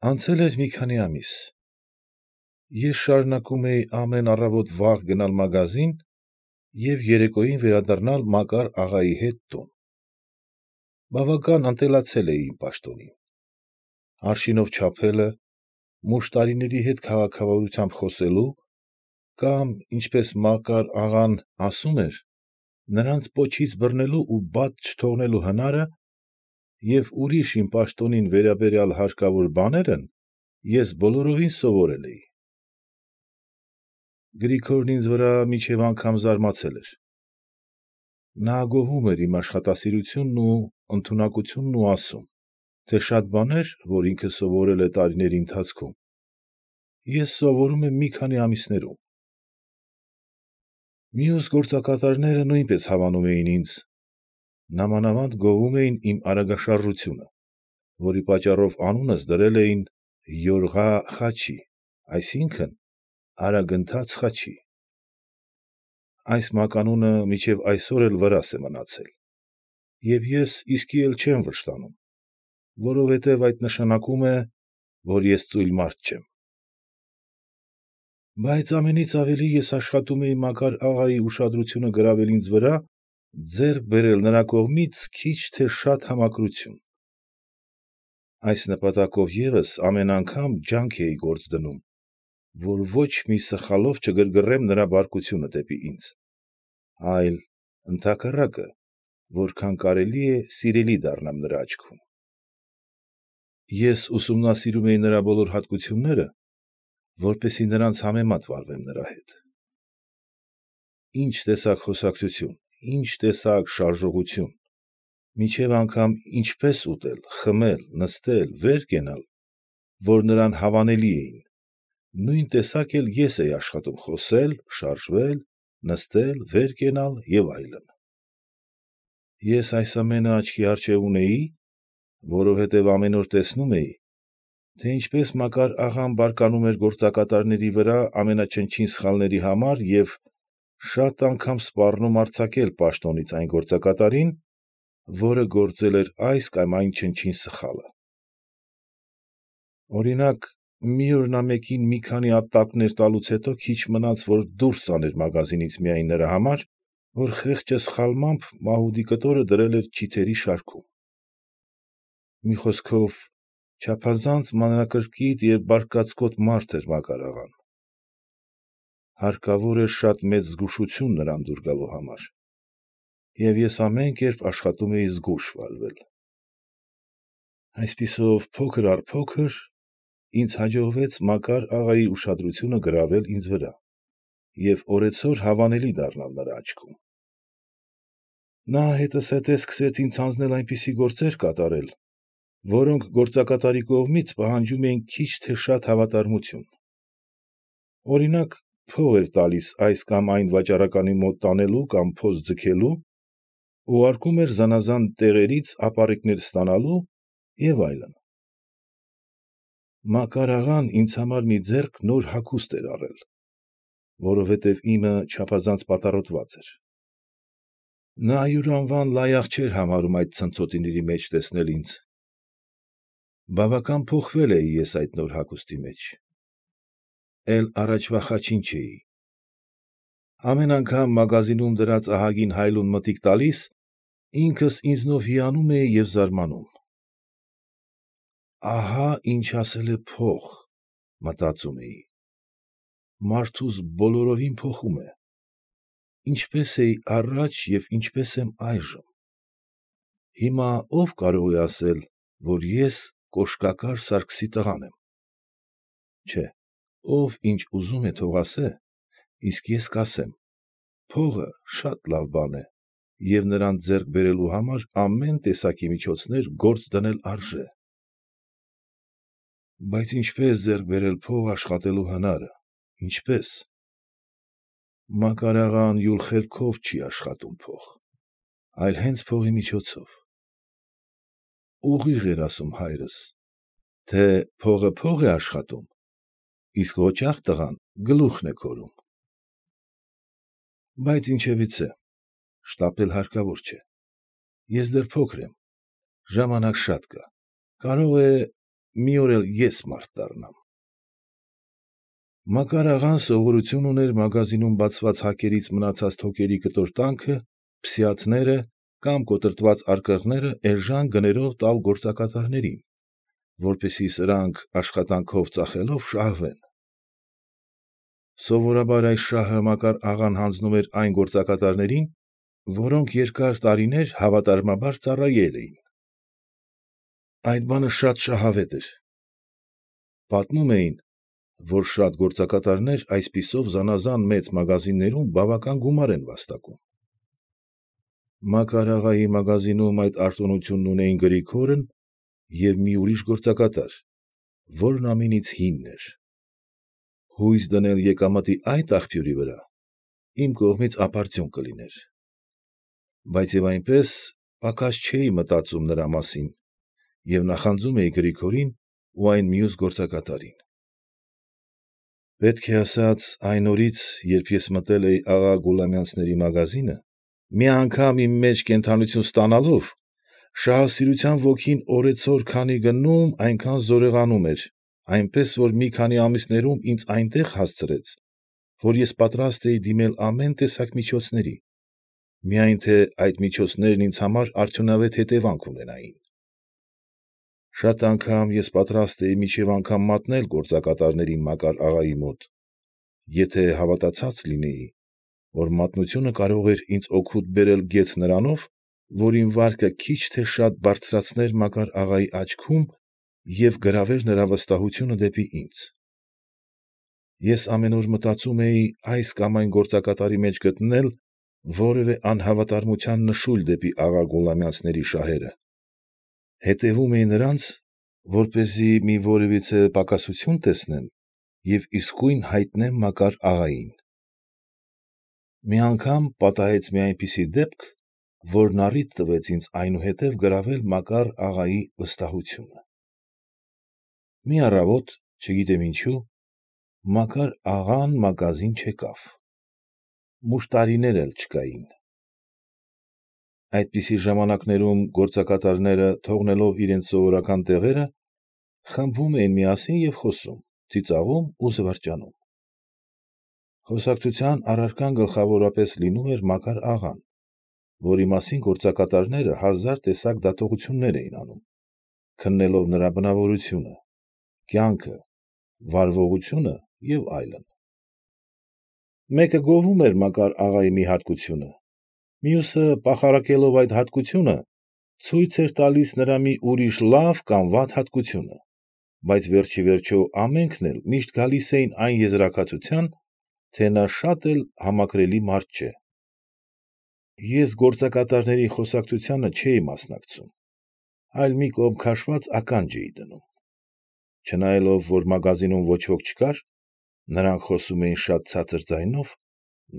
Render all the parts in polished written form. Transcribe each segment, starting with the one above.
Անցել էր մի քանի ամիս։ Ես շարունակում էի ամեն առավոտ վաղ գնալ մագազին և երեկոյին վերադառնալ Մակար աղայի հետ տուն։ Բավական ընտելացել էի իմ պաշտոնին։ Արշինով չափելը, մուշտարիների հետ քաղաքավարությամբ խոսելու կամ, ինչպես Մակար աղան ասում էր, նրանց պոչից բռնելու ու բաց չթողնելու հնարը և ուրիշ իմ պաշտոնին վերաբերյալ հարկավոր բաներն ես բոլորովին սովորել էի։ Գրիգորն ինձ վրա մինչև անգամ զարմացել էր։ Նա գովում էր իմ աշխատասիրությունն ու ընդունակությունն ու ասում, թե շատ բաներ, որ ինքը սովորել է տարիների ընթացքում, ես սովորում եմ մի քանի ամիսներում։ Մյուս գործակատարները նույնպես հավանում էին ինձ, նամանավանդ գովում էին իմ արագաշարժությունը, որի պատճառով անունս դրել էին Յորղա Խաչի, այսինքն՝ արագընթաց Խաչի։ Այս մականունը մինչև այսօր էլ վրաս է մնացել, և ես իսկի էլ չեմ վշտանում, որովհետև այդ նշանակում է, որ ես ծույլ մարդ չեմ։ Բայց ամենից ավելի ես աշխատում էի Մակար աղայի ուշադրությունը գրավել ինձ վրա, ձեռք բերել նրա կողմից քիչ թե շատ համակրություն։ Այս նպատակով ևս ամեն անգամ ջանք էի գործ դնում, որ ոչ մի սխալով չգրգռեմ նրա բարկությունը դեպի ինձ, այլ, ընդհակառակը, որքան կարելի է սիրելի դառնամ նրա աչքում։ Ես ուսումնասիրում էի նրա բոլոր հատկությունները, որպեսզի նրանց համեմատ վարվեմ նրա հետ։ Ինչ տեսակ խոսակցություն, ինչ տեսակ շարժողություն, մինչև անգամ ինչպես ուտել, խմել, նստել, վեր կենալ, որ նրան հավանելի էին, նույն տեսակ էլ ես էի աշխատում խոսել, շարժվել, նստել, վեր կենալ և այլն։ Ես այս ամենը աչքի առջև ունեի, որովհետև ամեն օր տեսնում էի, թե ինչպես Մակար աղան բարկանում էր գործակատարների վրա ամենաչնչին սխալների համար և շատ անգամ սպառնում արձակել պաշտոնից այն գործակատարին, որը գործել էր այս կամ այն չնչին սխալը։ Օրինակ, մի օր նա մեկին մի քանի ապտակներ տալուց հետո քիչ մնաց, որ դուրս տաներ մագազինից միայն նրա համար, որ խեղճը սխալմամբ մահուդի կտորը դրել էր չիթերի շարքում։ Մի խոսքով, չափազանց մանրակրկիտ և բարկացկոտ մարդ էր Մակար աղան։ Հարկավոր էր շատ մեծ զգուշություն նրան դուր գալու համար, և ես ամեն կերպ աշխատում էի զգույշ վարվել։ Այսպիսով, փոքր առ փոքր ինձ հաջողվեց Մակար աղայի ուշադրությունը գրավել ինձ վրա և օրեցօր հավանելի դառնալ նրա աչքում։ Նա հետզհետե սկսեց ինձ հանձնել այնպիսի գործեր կատարել, որոնք գործակատարի կողմից պահանջում էին քիչ թե շատ հավատարմություն։ Օրինակ, փող էր տալիս այս կամ այն վաճառականի մոտ տանելու կամ փոս ձգելու, ուղարկում էր զանաղան տեղերից ապառիկներ ստանալու և այլն։ Մակար աղան ինձ համար մի ձեռք նոր հագուստ էր առել, որովհետև իմը չափազանց պատառոտված էր։ Նա յուրանվան լայախ չէր համարում այդ ցնցոտիների մեջ տեսնել ինձ։ Բավական փոխվել էի ես այդ նոր հագուստի մեջ։ Էլ առաջվա Խաչին չէի։ Ամեն անգամ մագազինում դրած ահագին հայլուն մտիկ տալիս, ինքս ինձնով հիանում էի և զարմանում։ Ահա՛ ինչ ասել է փող, մտածում էի, մարդուս բոլորովին փոխում է, ինչպես էի առաջ և ինչպես եմ այժմ։ Հիմա ո՞վ կարող է ասել, որ ես կոշկակար Սարգիսի տղան եմ։ Չէ, ով ինչ ուզում է թող ասե, իսկ ես կասեմ. փողը շատ լավ բան է և նրան ձեռք բերելու համար ամեն տեսակի միջոցներ գործ դնել արժե։ Բայց ինչպե՞ս ձեռք բերել փող աշխատելու հնարը, ինչպե՞ս։ Մակար աղան յուր խելքով չի աշխատում փող, այլ հենց փողի միջոցով։ Ուղիղ էր ասում հայրս, թե փողը փող է աշխատում, իսկ ղոճաղ տղան գլուխն է քորում։ Բայց ինչևիցե, շտապել հարկավոր չէ։ Ես դեռ փոքր եմ, ժամանակ շատ կա, կարող է մի օր էլ ես մարդ դառնամ։ Մակար աղան սովորություն ուներ մագազինում բացված հակերից մնացած թոկերի կտոր տանքը, փսիաթները կամ կոտրտված արկղները էժան գներով տալ գործակատարներին, որպեսզի սրանք աշխատանքով ծախելով շահվեն։ Սովորաբար այս շահը Մակար աղան հանձնում էր այն գործակատարներին, որոնք երկար տարիներ հավատարմաբար ծառայել էին։ Այդ բանը շատ շահավետ էր։ Պատմում էին, որ շատ գործակատարներ այսպիսով զանաղան մեծ մագազիններում բավական գումար են վաստակում։ Մակար աղայի մագազինում այդ արտոնությունն ունեին Գրիգորն և մի ուրիշ գործակատար, որն ամենից հինն էր։ Հույս դնել եկամտի այդ աղբյուրի վրա իմ կողմից ապարդյուն կլիներ, բայց և այնպես պակաս չէի մտածում նրա մասին և նախանձում էի Գրիգորին ու այն մյուս գործակատարին։ Պետք է ասած, այն օրից, երբ ես մտել էի աղա Գուլամյանցների մագազինը, մի անգամ իմ մեջ կենդանություն ստանալով, շահասիրության ոգին օրեցօր քանի գնում, այնքան զորեղանում էր, այնպես որ մի քանի ամիսներում ինձ այնտեղ հասցրեց, որ ես պատրաստ էի դիմել ամեն տեսակ միջոցների, միայն թե այդ միջոցներն ինձ համար արդյունավետ հետևանք ունենային։ Շատ անգամ ես պատրաստ էի մինչև անգամ մատնել գործակատարներին Մակար աղայի մոտ, եթե հավատացած լինեի, որ մատնությունը կարող էր ինձ օգուտ բերել գեթ նրանով, որ իմ վարկը քիչ թե շատ բարձրացներ Մակար աղայի աչքում և գրավեր նրա վստահությունը դեպի ինձ։ Ես ամեն օր մտածում էի այս կամ այն գործակատարի մեջ գտնել որևէ անհավատարմության նշույլ դեպի աղա Գուլամյանցների շահերը, հետևում էի նրանց, որպեսզի մի որևիցե պակասություն տեսնեմ և իսկույն հայտնեմ Մակար աղային։ Մի անգամ պատահեց մի այնպիսի դեպք, որն առիթ տվեց ինձ այնուհետև գրավել Մակար աղայի վստահությունը։ Մի առավոտ, չգիտեմ ինչու, Մակար աղան մագազին չեկավ, մուշտարիներ էլ չկային։ Այդպիսի ժամանակներում գործակատարները, թողնելով իրենց սովորական տեղերը, խմբվում էին միասին և խոսում, ծիծաղում ու զվարճանում։ Խոսակցության առարկան գլխավորապես լինում էր Մակար աղան, որի մասին գործակատարները հազար տեսակ դատողություններ էին անում, քննելով նրա բնավորությունը, կյանքը, վարվողությունը և այլն։ Մեկը գովում էր Մակար աղայի մի հատկությունը, մյուսը, պախարակելով այդ հատկությունը, ցույց էր տալիս նրա մի ուրիշ լավ կամ վատ հատկությունը, բայց վերջիվերջո ամենքն էլ միշտ գալիս էին այն եզրակացության, թե նա շատ էլ համակրելի մարդ չէ։ Ես գործակատարների խոսակցությանը չէի մասնակցում, այլ մի կողմ քաշված ականջ էի դնում։ Չնայելով, որ մագազինում ոչ ոք չկար, նրանք խոսում էին շատ ցածր ձայնով,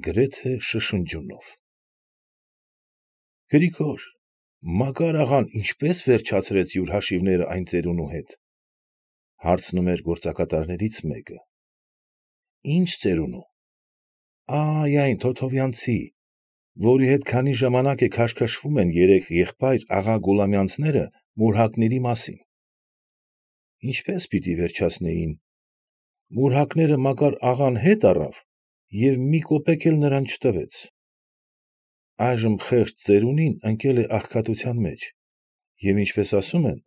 գրեթե շշնջյունով։ ֊ Գրիգոր, Մակար աղան ինչպե՞ս վերջացրեց յուր հաշիվները այն ծերունու հետ, ֊ հարցնում էր գործակատարներից մեկը։ ֊ Ի՞նչ ծերունու։ ֊ Այն Թոթովյանցի, որի հետ քանի ժամանակ է քաշքշվում են երեք եղբայր աղա Գուլամյանցները մուրհակների մասին։ ֊ Ինչպե՞ս պիտի վերջացնեին։ Մուրհակները Մակար աղան հետ առավ և մի կոպեկ էլ նրան չտվեց։ Այժմ խեղճ ծերունին ընկել է աղքատության մեջ և, ինչպես ասում են,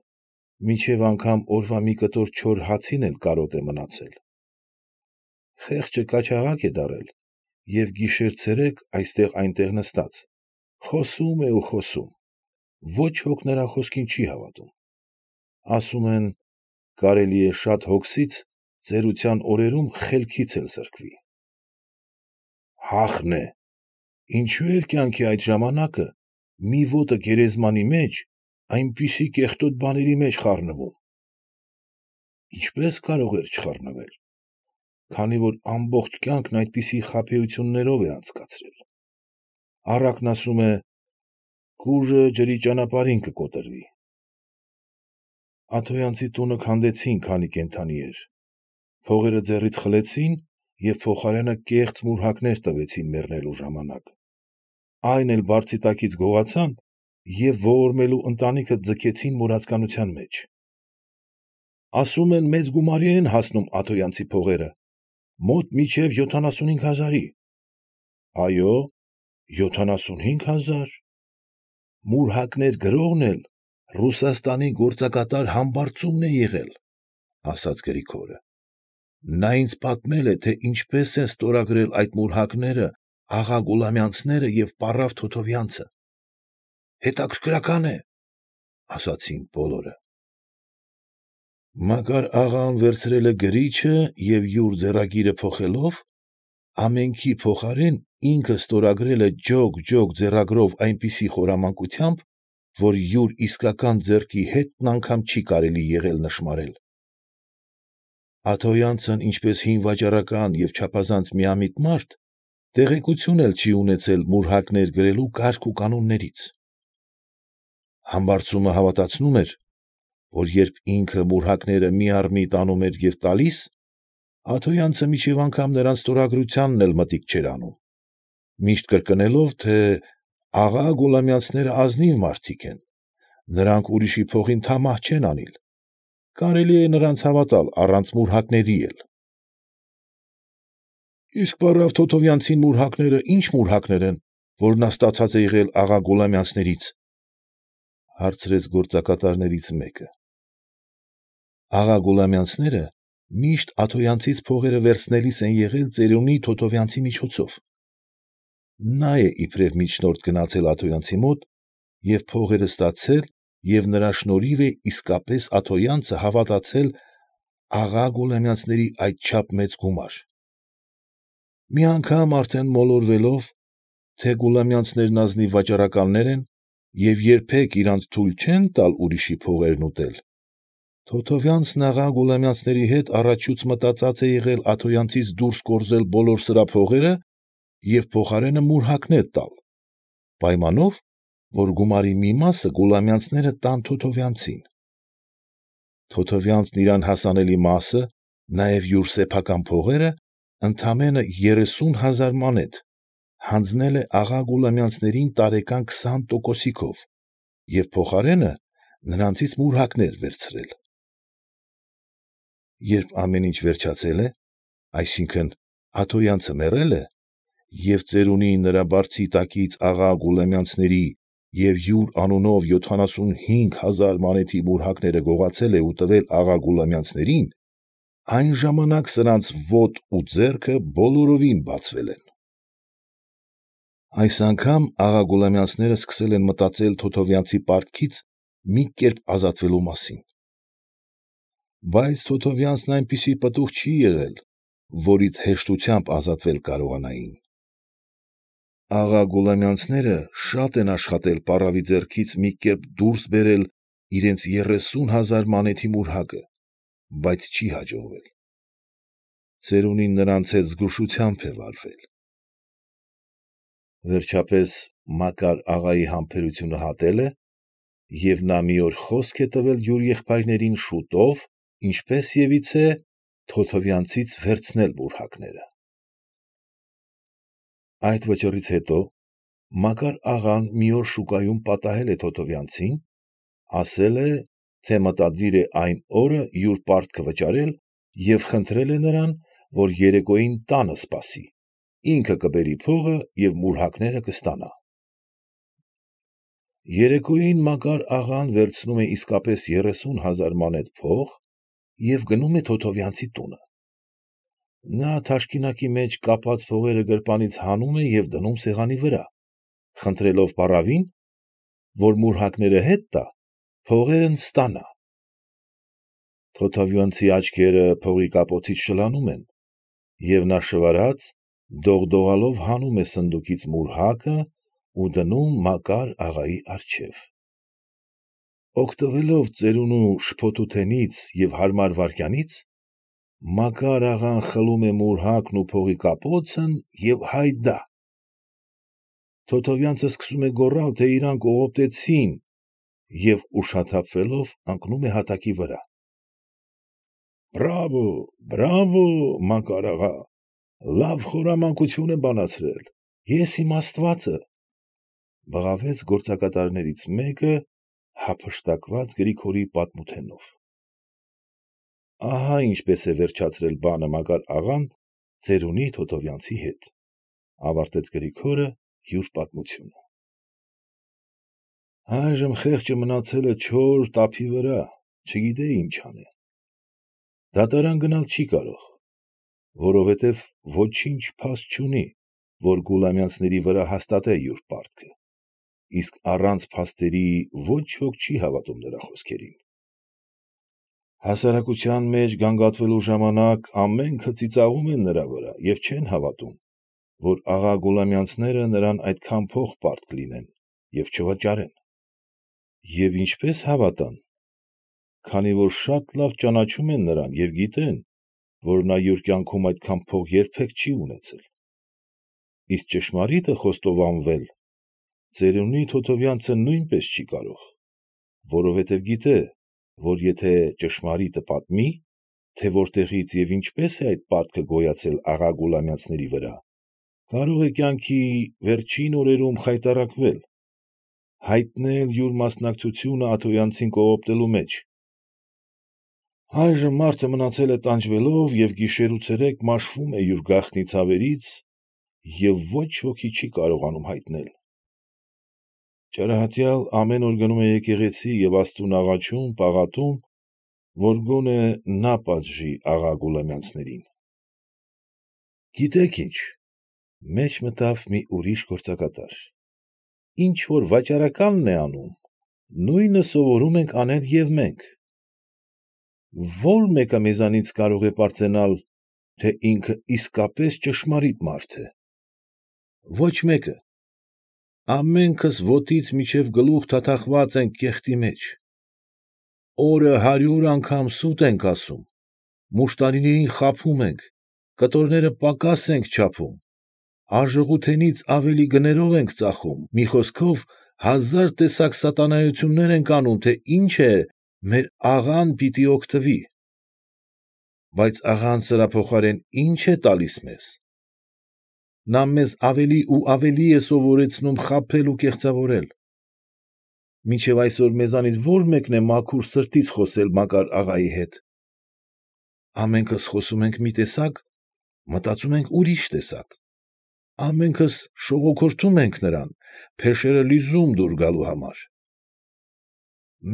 մինչև անգամ օրվա մի կտոր չոր հացին էլ կարոտ է մնացել։ Խեղճը կաչաղակ է դառել և գիշեր֊ցերեկ այստեղ֊այնտեղ նստած, խոսում է ու խոսում, ոչ ոք նրա խոսքին չի հավատում։ Ասում են, կարելի է շատ հոգսից ծերության օրերում խելքից էլ զրկվի։ Հախն է, ինչո՞ւ էր կյանքի այդ ժամանակը մի ոտը գերեզմանի մեջ այնպիսի կեղտոտ բաների մեջ խառնվում։ Ինչպե՞ս կարող էր չխառնվել, քանի որ ամբողջ կյանքն այդպիսի խաբեություններով է անցկացրել։ Առակն ասում է, կուժը ջրի ճանապարհին կկոտրվի։ Աթոյանցի տունը քանդեցին, քանի կենդանի էր, փողերը ձեռքից խլեցին և փոխարենը կեղծ մուրհակներ տվեցին մեռնելու ժամանակ, այն էլ բարձի տակից գողացան և ողորմելու ընտանիքը ձգեցին մուրացկանության մեջ։ Ասում են մեծ գումարի են հասնում աթոյանցի փողերը, մոտ մինչև 75,000-ի։ Այո, 75,000։ Մուրհակներ գրողն էլ Ռուսաստանի գործակատար համբարձումն է եղել, ֊ ասաց Գրիգորը։ Նա ինձ պատմել է, թե ինչպես են ստորագրել այդ մուրհակները աղա Գուլամյանցները և պառավ Թոթովյանցը։ Հետաքրքրական է, ֊ ասացին բոլորը։ Մակար աղան վերցրել է գրիչը և յուր ձեռագիրը փոխելով, ամենքի փոխարեն ինքը ստորագրել է ջոկ ձեռագրով այնպիսի խորամանկությամբ, որ յուր իսկական ձեռքի հետն անգամ չի կարելի եղել նշմարել։ Աթոյանցն ինչպես հին վաճառական և չափազանց միամիտ մարդ, տեղեկություն էլ չի ունեցել մուրհակներ գրելու կարգ ու կանոններից։ Համբարձումը հավատացնում էր, որ երբ ինքը մուրհակները մի առ միտ անում էր և տալիս, աթոյանցը մինչև անգամ նրանց ստորագրությանն էլ մտիկ չէր անում, միշտ կրկնելով, թե աղա Գուլամյանցները ազնիվ մարդիկ են, նրանք ուրիշի փողին թամահ չեն անիլ, կարելի է նրանց հավատալ առանց մուրհակների էլ։ ֊ Իսկ պառավ Թոթովյանցին մուրհակները ի՞նչ մուրհակներ են, որ նա ստացած է եղել աղա Գուլամյանցներից, ֊ հարցրեց գործակատարներից մեկը։ Աղա Գուլամյանցները միշտ աթոյանցից փողերը վերցնելիս են եղել ծերունի Թոթովյանցի միջոցով։ Նա է իբրև միջնորդ գնացել աթոյանցի մոտ և փողերը ստացել և նրա շնորհիվ է իսկապես աթոյանցը հավատացել աղա Գուլամյանցների այդչափ մեծ գումար։ Մի անգամ արդեն մոլորվելով, թե Գուլամյանցներն ազնիվ վաճառականներ են և երբեք իրանց թույլ չեն տալ ուրիշի փողերն ուտել, Թոթովյանցն աղա Գուլամյանցների հետ առաջուց մտածած է եղել աթոյանցից դուրս կորզել բոլոր սրա փողերը և փոխարենը մուրհակներ տալ, պայմանով, որ գումարի մի մասը Գուլամյանցները տան Թոթովյանցին։ Թոթովյանցն իրան հասանելի մասը, նաև յուր սեփական փողերը, ընդամենը 30,000 մանեթ, հանձնել է աղա Գուլամյանցներին տարեկան 20%-ով և փոխարենը նրանցից մուրհակներ վերցրել։ Երբ ամեն ինչ վերջացել է, այսինքն՝ աթոյանցը մեռել է, և ծերունի նրա բարձի տակից աղա Գուլամյանցների և յուր անունով 75,000 մանեթի մուրհակները գողացել է ու տվել աղա Գուլամյանցներին, այն ժամանակ սրանց ոտն ու ձեռքը բոլորովին բացվել են։ Այս անգամ աղա Գուլամյանցները սկսել են մտածել Թոթովյանցի պարտքից մի կերպ ազատվելու մասին։ Բայց Թոթովյանցն այնպիսի պտուղ չի եղել, որից հեշտությամբ ազատվել կարողանային։ Աղա Գուլամյանցները շատ են աշխատել պառավի ձեռքից մի կերպ դուրս բերել իրենց 30,000 մանեթի մուրհակը, բայց չի հաջողվել։ Ծերունին նրանց հետ զգուշությամբ է վարվել։ Վերջապես Մակար աղայի համբերությունը հատել է, և նա մի օր խոսք է տվել յուր եղբայրներին շուտով, ինչպեսևիցե, Թոթովյանցից վերցնել մուրհակները։ Այդ վճռից հետո Մակար աղան մի օր շուկայում պատահել է Թոթովյանցին, ասել է, թե մտադիր է այն օրը յուր պարտքը վճարել և խնդրել է նրան, որ երեկոյին տանը սպասի, ինքը կբերի փողը և մուրհակները կստանա։ Երեկոյին Մակար աղան վերցնում է իսկապես 30,000 մանեթ փող և գնում է Թոթովյանցի տունը։ Նա թաշկինակի մեջ կապած փողերը գրպանից հանում է և դնում սեղանի վրա, խնդրելով պառավին, որ մուրհակները հետ տա, փողերն ստանա։ Թոթովյանցի աչքերը փողի կապոցից շլանում են, և նա շվարած, դողդողալով հանում է սնդուկից մուրհակը ու դնում Մակար աղայի առջև։ Օգտվելով ծերունու շփոթութենից և հարմար վայրկյանից, Մակար աղան խլում է մուրհակն ու փողի կապոցն և հայդա։ Թոթովյանցը սկսում է գոռալ, թե իրան կողոպտեցին և ուշաթափվելով ընկնում է հատակի վրա։ ֊ Բրավո, Մակար աղա, լավ խորամանկություն է բանացրել, ես իմ աստվածը, ֊ բղավեց գործակատարներից մեկը հափշտակված Գրիգորի պատմութենով։ Ահա ինչպես է վերջացրել բանը Մակար աղան ծերունի Թոթովյանցի հետ, ավարտեց Գրիգորը յուր պատմությունը։ Այժմ խեղճը մնացել է չոր տափի վրա, չգիտե ինչ անե։ Դատարան գնալ չի կարող, որովհետև ոչինչ փաստ չունի, որ Գուլամյանցների վրա հաստատե յուր պարտքը, իսկ առանց փաստերի ոչ ոք չի հավատում նրա խոսքերին։ Հասարակության մեջ գանգատվելու ժամանակ ամենքը ծիծաղում են նրա վրա և չեն հավատում, որ աղա Գուլամյանցները նրան այդքան փող պարտք կլինեն և չվաճառեն։ Եվ ինչպես հավատան, քանի որ շատ լավ ճանաչում են նրան և գիտեն, որ նա յուր կյանքում այդքան փող երբեք չի ունեցել։ Իսկ ճշմարիտը խոստովանվել ծերունի Թոթովյանցը նույնպես չի կարող, որովհետև գիտե, որ եթե ճշմարիտը պատմի, թե որտեղից և ինչպես է այդ պարտքը գոյացել աղա Գուլամյանցների վրա, կարող է կյանքի վերջին օրերում խայտառակվել, հայտնել յուր մասնակցությունը աթոյանցին կողոպտելու մեջ։ Այժմ մարդը մնացել է տանջվելով և գիշեր ու ցերեկ մաշվում է յուր գաղտնի ցավերից և ոչ ոքի չի կարողանում հայտնել։ Ճարահատյալ ամեն օր գնում է եկեղեցի և աստծուն աղաչում, պաղատում, որ գոնե նա պատժի աղա Գուլամյանցներին։ Գիտեք ինչ, մեջ մտավ մի ուրիշ գործակատար։ Ինչ որ վաճառականն է անում, նույնը սովորում ենք անել և մենք։ Ո՞ր մեկը մեզանից կարող է պարծենալ, թե ինքը իսկապես ճշմարիտ մարդ է։ Ոչ մեկը։ Ամենքս ոտից մինչև գլուխ թաթախված ենք կեղտի մեջ։ Օրը 100 անգամ սուտ ենք ասում, մուշտարիներին խաբում ենք, կտորները պակաս ենք չափում, արժողութենից ավելի գներով ենք ծախում, մի խոսքով, 1000 տեսակ սատանայություններ ենք անում, թե ինչ է, մեր աղան պիտի օգտվի։ Բայց աղան սրա փոխարեն ի՞նչ է տալիս մեզ։ Նա մեզ ավելի ու ավելի է սովորեցնում խաբել ու կեղծավորել։ Մինչև այսօր մեզանից ո՞ր մեկն է մաքուր սրտից խոսել Մակար աղայի հետ։ Ամենքս խոսում ենք մի տեսակ, մտածում ենք ուրիշ տեսակ, ամենքս շողոքորթում ենք նրան, փեշերը լիզում դուր գալու համար։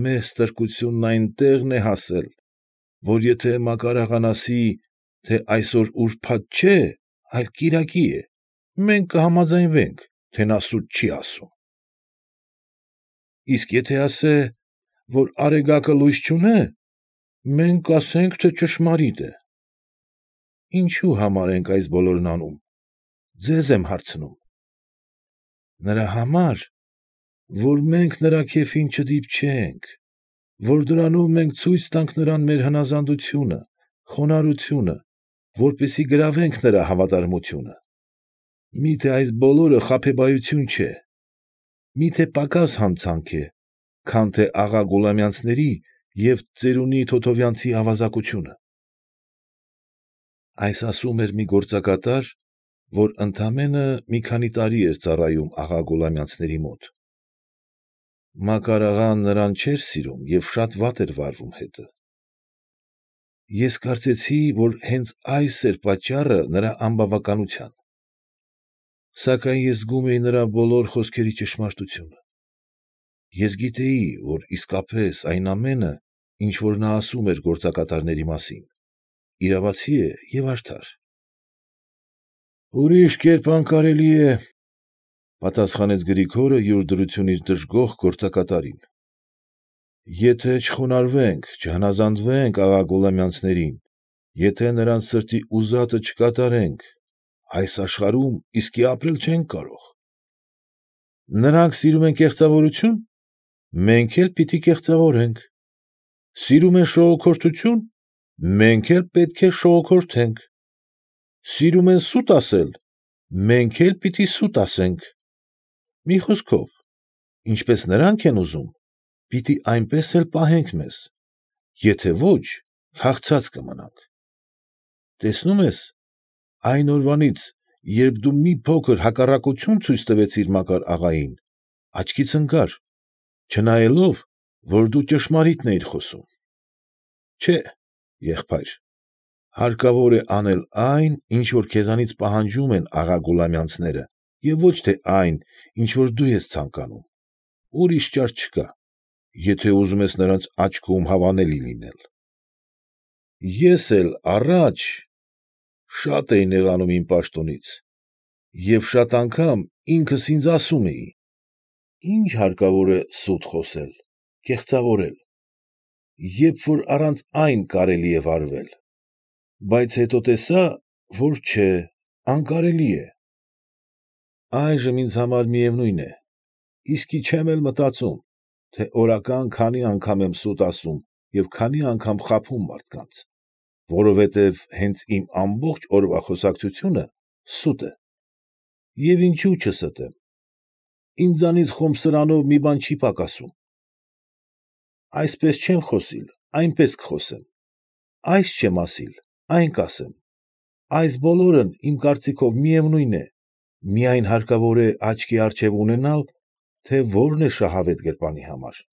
Մեր ստրկությունն այնտեղն է հասել, որ եթե Մակար աղան ասի, թե այսօր ուրբաթ չէ, այլ կիրակի է, մենք կհամաձայնվենք, թե նա սուտ չի ասում։ Իսկ եթե ասե, որ արեգակը լույս չունե, մենք կասենք, թե ճշմարիտ է։ Ինչու համար ենք այս բոլորն անում, ձեզ եմ հարցնում։ Նրա համար, որ մենք նրա քեֆին չդիպչենք, որ դրանով մենք ցույց տանք նրան մեր հնազանդությունը, խոնարհությունը, որպեսզի գրավենք նրա հավատարմությունը։ Մի՞թե այս բոլորը խաբեբայություն չէ, մի՞թե պակաս հանցանք է, քան թե աղա Գուլամյանցների և ծերունի Թոթովյանցի ավազակությունը։ Այս ասում էր մի գործակատար, որ ընդամենը մի քանի տարի էր ծառայում աղա Գուլամյանցների մոտ։ Մակար աղան նրան չէր սիրում և շատ վատ էր վարվում հետը։ Ես կարծեցի, որ հենց այս էր պատճառը նրա անբավականության։ Սակայն ես զգում էի նրա բոլոր խոսքերի ճշմարտությունը։ Ես գիտեի, որ իսկապես այն ամենը, ինչ որ նա ասում էր գործակատարների մասին, իրավացի է և արդար։ Ուրիշ կերպ անկարելի է, պատասխանեց Գրիգորը յուր դրությունից դժգոհ գործակատարին։ Եթե չխոնարհվենք, չհնազանդվենք աղա Գուլամյանցներին, եթե նրանց սրտի ուզածը չկատարենք, այս աշխարհում իսկի ապրել չենք կարող։ Նրանք սիրում են կեղծավորությո՞ւն, մենք էլ պիտի կեղծավորենք։ Սիրում են շողոքորթություն, մենք էլ պետք է շողոքորթենք։ Սիրում են սուտ ասել, մենք էլ պիտի սուտ ասենք։ Մի խոսքով, ինչպես նրանք են ուզում, պիտի այնպես էլ պահենք մեզ, եթե ոչ, քաղցած կմնանք։ Տեսնում ես, այն օրվանից, երբ դու մի փոքր հակառակություն ցույց տվեցիր Մակար աղային, աչքից ընկար, չնայելով, որ դու ճշմարիտն էիր խոսում։ Չէ, Եղբայր, հարկավոր է անել այն, ինչ որ քեզանից պահանջում են աղա Գուլամյանցները, և ոչ թե այն, ինչ որ դու ես ցանկանում, ուրիշ ճար չկա, եթե ուզում ես նրանց աչքում հավանելի լինել։ Ես էլ առաջ շատ էի նեղանում իմ պաշտոնից և շատ անգամ ինքս ինձ ասում էի. «Ի՞նչ հարկավոր է սուտ խոսել, կեղծավորել, երբ որ առանց այն կարելի է վարվել, բայց հետո տեսա, որ չէ, անկարելի է»։ Այժմ ինձ համար միևնույն է, իսկի չեմ էլ մտածում, թե օրական քանի անգամ եմ սուտ ասում և քանի անգամ խաբում մարդկանց, որովհետև հենց իմ ամբողջ օրվա խոսակցությունը սուտ է։ Եվ ինչո՞ւ չստեմ, ինձանից խոմ սրանով մի բան չի պակասում։ Այսպես չեմ խոսիլ, այնպես կխոսեմ, այս չեմ ասիլ, այն կասեմ, այս բոլորն իմ կարծիքով միևնույն է, միայն հարկավոր է աչքի առջև ունենալ, թե որն է շահավետ գրպանի համար։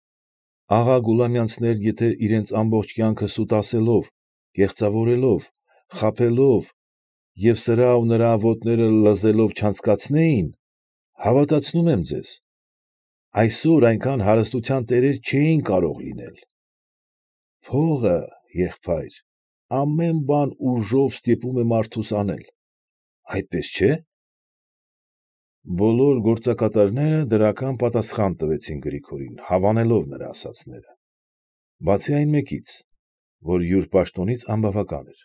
Աղա Գուլամյանցներ եթե իրենց ամբողջ կյանքը սուտ ասելով, կեղծավորելով, խաբելով և սրա ու նրա ոտները լզելով չանցկացնեին, հավատացնում եմ ձեզ, այսօր այնքան հարստության տերեր չէին կարող լինել։ Փողը, եղբայր, ամեն բան ուժով ստիպում է մարդուս անել, այդպես չէ՞։ Բոլոր գործակատարները դրական պատասխան տվեցին Գրիգորին, հավանելով նրա ասածները, բացի այն մեկից, որ յուր պաշտոնից անբավական էր։